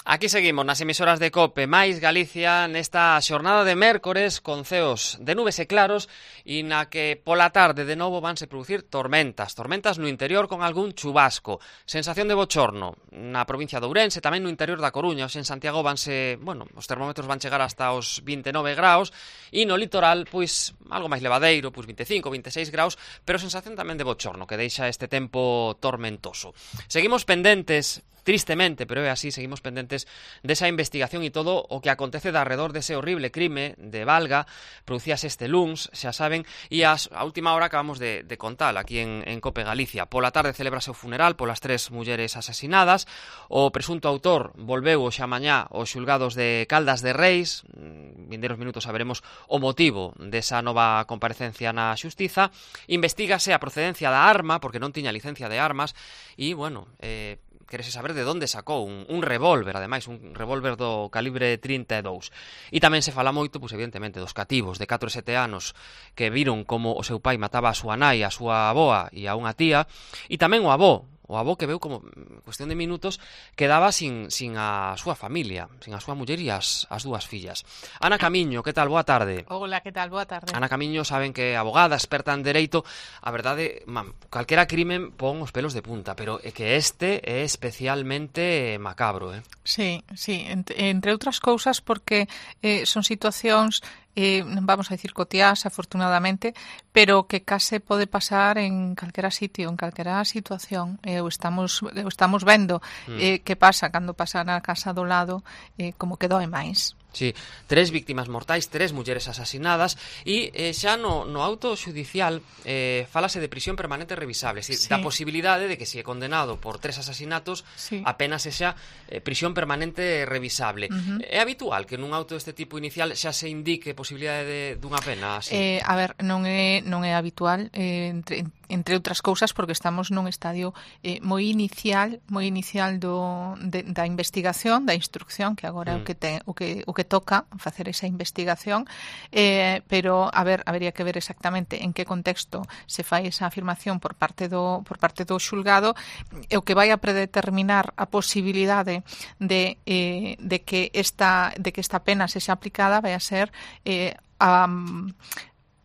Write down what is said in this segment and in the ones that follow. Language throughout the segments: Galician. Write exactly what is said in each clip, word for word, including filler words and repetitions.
Aquí seguimos nas emisoras de COPE máis Galicia nesta xornada de mércores con ceos de nubes e claros e na que pola tarde de novo vanse producir tormentas, tormentas no interior con algún chubasco, sensación de bochorno na provincia de Ourense, tamén no interior da Coruña, en Santiago vanse, bueno, os termómetros van chegar hasta os vinte e nove graus e no litoral, pois, algo máis levadeiro, pois vinte e cinco, vinte e seis graus, pero sensación tamén de bochorno que deixa este tempo tormentoso. Seguimos pendentes, tristemente, pero é así, seguimos pendentes desa investigación e todo o que acontece de arredor dese horrible crime de Valga, producíase este luns, xa saben, e as, a última hora acabamos de, de contar aquí en, en COPE Galicia. Pola tarde celebrase o funeral polas tres mulleres asasinadas, o presunto autor volveu xa mañá aos xulgados de Caldas de Reis, vindeiros minutos saberemos o motivo desa nova comparecencia na xustiza, investígase a procedencia da arma, porque non tiña licencia de armas, e, bueno, eh, querese saber de onde sacou un, un revólver, ademais, un revólver do calibre trinta e dous. E tamén se fala moito, pois, evidentemente, dos cativos de catro e sete anos que viron como o seu pai mataba a súa nai, a súa avoa e a unha tía, e tamén o avó, o avó que veu como, cuestión de minutos, quedaba sin, sin a súa familia, sin a súa muller e as, as dúas fillas. Ana Camiño, que tal? Boa tarde. Hola, que tal? Boa tarde. Ana Camiño, saben que é abogada, experta en dereito. A verdade, man, calquera crimen pon os pelos de punta, pero é que este é especialmente macabro, eh? Sí, sí, entre, entre outras cousas porque eh, son situacións eh, vamos a dicir cotiás, afortunadamente, pero que case pode pasar en calquera sitio, en calquera situación. Eh, o estamos, o estamos vendo mm. eh, que pasa cando pasa na casa do lado, eh, como que doe máis. Sí, tres víctimas mortais, tres mulleres asasinadas e eh, xa no, no auto xudicial eh, falase de prisión permanente revisable, es decir, sí. da posibilidade de que se é condenado por tres asasinatos sí. apenas xa eh, prisión permanente revisable. Uh -huh. É habitual que nun auto deste tipo inicial xa se indique posibilidade de, dunha pena así? Eh, a ver, non é, non é habitual, eh, entre, entre outras cousas porque estamos nun estadio eh, moi inicial, moi inicial do, de, da investigación, da instrucción, que agora é mm. o que ten, o que o que toca facer esa investigación, eh, pero a ver, habería que ver exactamente en que contexto se fai esa afirmación por parte do por parte do xulgado, e o que vai a predeterminar a posibilidade de eh, de que esta de que esta pena sexa aplicada vai a ser eh, a,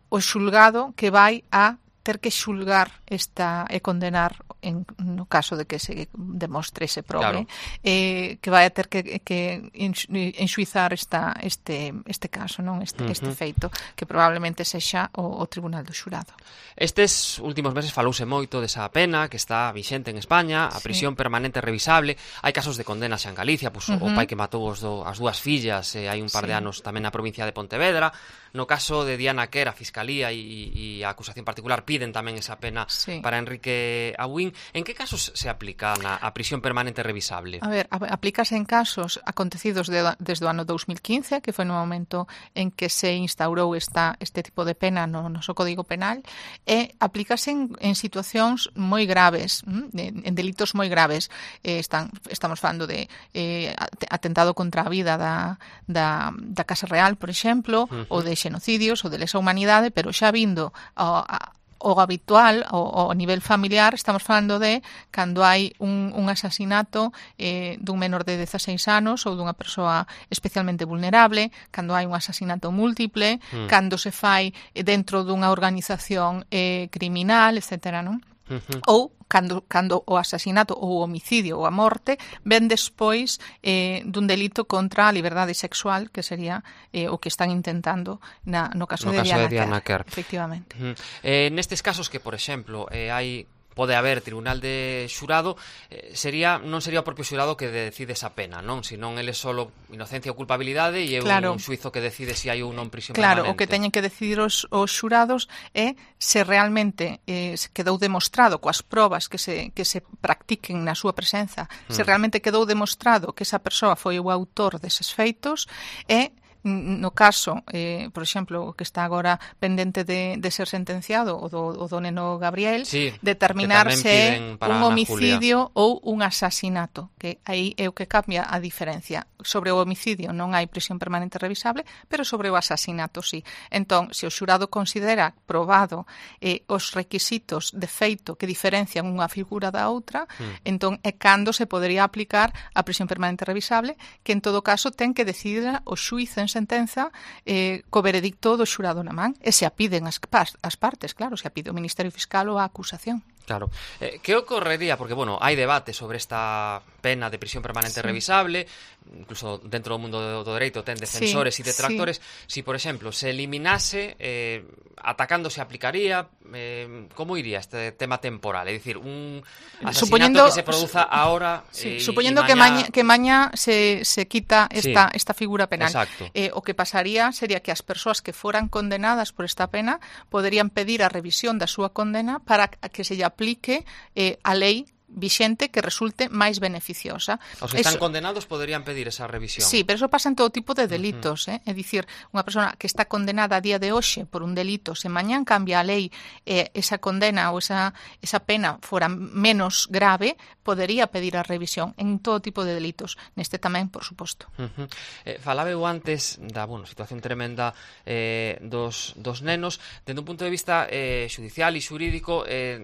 o xulgado que vai a ter que xulgar esta e condenar en, no caso de que se demostre ese probe, claro. eh, que vai a ter que, que enxuizar esta, este, este caso, non este, uh -huh. este feito, que probablemente sexa o, o Tribunal do Xurado. Estes últimos meses falouse moito desa pena que está vixente en España, a prisión sí. permanente revisable. Hai casos de condenas xa en Galicia, pues, uh -huh. o pai que matou os do, as dúas fillas, eh, hai un par sí. de anos tamén na provincia de Pontevedra. No caso de Diana Quer, a Fiscalía e a acusación particular piden tamén esa pena sí. para Enrique Abuín. En que casos se aplica na, a prisión permanente revisable? A ver, aplícase en casos acontecidos de, desde o ano dos mil quince, que foi no momento en que se instaurou esta, este tipo de pena no noso Código Penal, e aplícase en, en situacións moi graves, en, en delitos moi graves. Eh, están, estamos falando de eh, atentado contra a vida da, da, da Casa Real, por exemplo, uh -huh. ou de xenocidios ou de lesa humanidade, pero xa vindo ao, ao habitual, ao, ao nivel familiar, estamos falando de cando hai un, un asasinato eh, dun menor de dezaseis anos ou dunha persoa especialmente vulnerable, cando hai un asasinato múltiple, mm. cando se fai dentro dunha organización eh, criminal, etcétera, non? Uh-huh. Ou cando, cando o asasinato ou o homicidio ou a morte ven despois eh, dun delito contra a liberdade sexual, que sería eh, o que están intentando na, no caso, no de, caso Diana de Diana Quer. Quer. Efectivamente. Uh-huh. eh, nestes casos que, por exemplo, eh, hai pode haber tribunal de xurado, eh, sería non sería o propio xurado que decide esa pena, non? Senón ele solo inocencia ou culpabilidade e é claro. un xuizo que decide se si hai ou non prisión claro, permanente. Claro, o que teñen que decidir os, os xurados é se realmente eh, se quedou demostrado coas probas que se, que se practiquen na súa presenza, hmm. se realmente quedou demostrado que esa persoa foi o autor deses feitos e no caso, eh, por exemplo, o que está agora pendente de, de ser sentenciado, o do, o do neno Gabriel, sí, determinar se é un homicidio ou un asasinato, que aí é o que cambia a diferencia. Sobre o homicidio non hai prisión permanente revisable, pero sobre o asasinato sí. Entón, se o xurado considera probado eh, os requisitos de feito que diferencian unha figura da outra, mm. entón é cando se podería aplicar a prisión permanente revisable, que en todo caso ten que decidir o xuíz en sentenza eh, co veredicto do xurado na man, e se a piden as, as partes, claro, se a pide o Ministerio Fiscal ou a acusación. Claro. Eh, que ocorrería? Porque, bueno, hai debate sobre esta pena de prisión permanente sí. revisable, incluso dentro do mundo do, do dereito ten defensores e sí, detractores. Sí. Si, por exemplo, se eliminase, eh, atacando se aplicaría, eh, como iría este tema temporal? É dicir, un asesinato suponiendo, que se produza ahora... Sí, eh, suponiendo mañá... que maña, que mañá se, se quita esta, sí. esta figura penal. Eh, o que pasaría sería que as persoas que foran condenadas por esta pena poderían pedir a revisión da súa condena para que se lle aplique eh, a lei vixente que resulte máis beneficiosa. Os que están eso, condenados poderían pedir esa revisión. Sí, pero eso pasa en todo tipo de delitos, uh -huh. eh? É dicir, unha persona que está condenada a día de hoxe por un delito, se mañán cambia a lei eh, esa condena ou esa, esa pena fora menos grave, podería pedir a revisión en todo tipo de delitos. Neste tamén, por suposto. Uh -huh. eh, falaba eu antes da bueno, situación tremenda eh, dos, dos nenos, dende un punto de vista eh, judicial e xurídico, eh,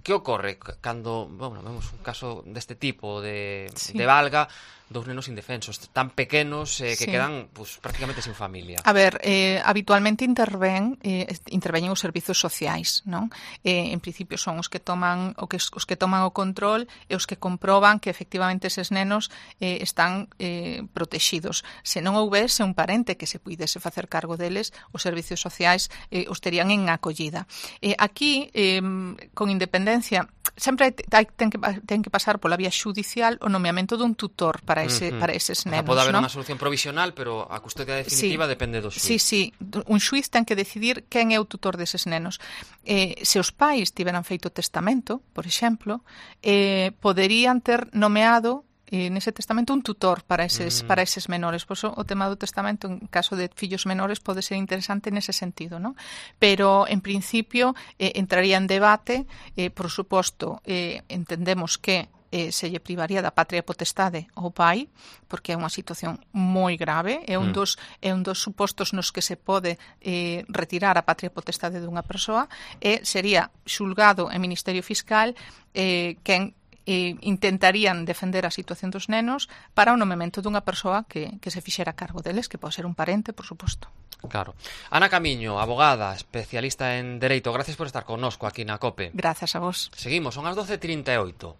que ocorre cando, bueno, vemos un caso deste tipo de, sí. de valga, dous nenos indefensos, tan pequenos eh, que sí. quedan pues, prácticamente sin familia. A ver, eh, habitualmente interven, eh, interveñen os servizos sociais, non? Eh, en principio son os que toman o que os que toman o control e os que comproban que efectivamente eses nenos eh, están eh, protexidos. Se non houbese un parente que se puidese facer cargo deles, os servizos sociais eh, os terían en acollida. Eh, aquí, eh, con independencia, sempre hai, ten, que, ten que pasar pola vía xudicial o nomeamento dun tutor para ese, uh -huh. para eses nenos. O sea, pode haber ¿no? unha solución provisional, pero a custodia definitiva sí. depende do xuiz. Sí, sí, un xuiz ten que decidir quen é o tutor deses nenos. Eh, se os pais tiveran feito testamento, por exemplo, eh, poderían ter nomeado e nese testamento un tutor para eses, mm. para eses menores. Por eso o tema do testamento en caso de fillos menores pode ser interesante nese sentido, ¿no? Pero en principio eh, entraría en debate, eh, por suposto, eh, entendemos que eh, se lle privaría da patria potestade ao pai, porque é unha situación moi grave, é un, mm. dos, é un dos supostos nos que se pode eh, retirar a patria potestade dunha persoa, e sería xulgado en Ministerio Fiscal eh, quen e intentarían defender a situación dos nenos para o nomeamento dunha persoa que, que se fixera cargo deles, que pode ser un parente, por suposto. Claro. Ana Camiño, abogada, especialista en Dereito, gracias por estar connosco aquí na COPE. Gracias a vos. Seguimos, son as doce e trinta e oito.